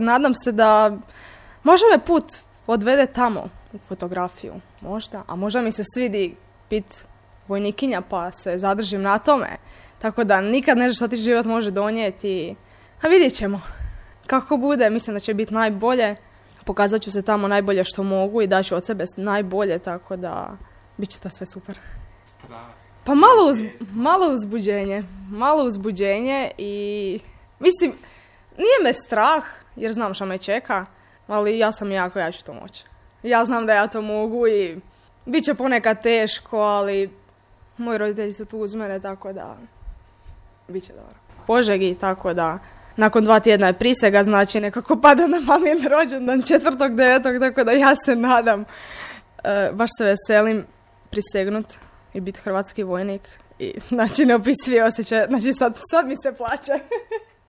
Nadam se da možda me put odvede tamo u fotografiju, možda, a možda mi se svidi biti vojnikinja pa se zadržim na tome. Tako da nikad ne znaš šta ti život može donijeti. A vidjet ćemo. Kako bude, mislim da će biti najbolje. Pokazat ću se tamo najbolje što mogu i daću od sebe najbolje, tako da bit će to sve super. Pa malo uzbuđenje i mislim, nije me strah jer znam šta me čeka, ali ja ću to moći. Ja znam da ja to mogu i bit će ponekad teško, ali moji roditelji su tu uz mene, tako da bit će dobro. Požegi, tako da nakon 2 tjedna je prisega, znači nekako pada na mamin rođendan 4.9. Tako da ja se nadam, baš se veselim prisegnut i biti hrvatski vojnik i znači neopisivi osjećaj, znači sad mi se plaće.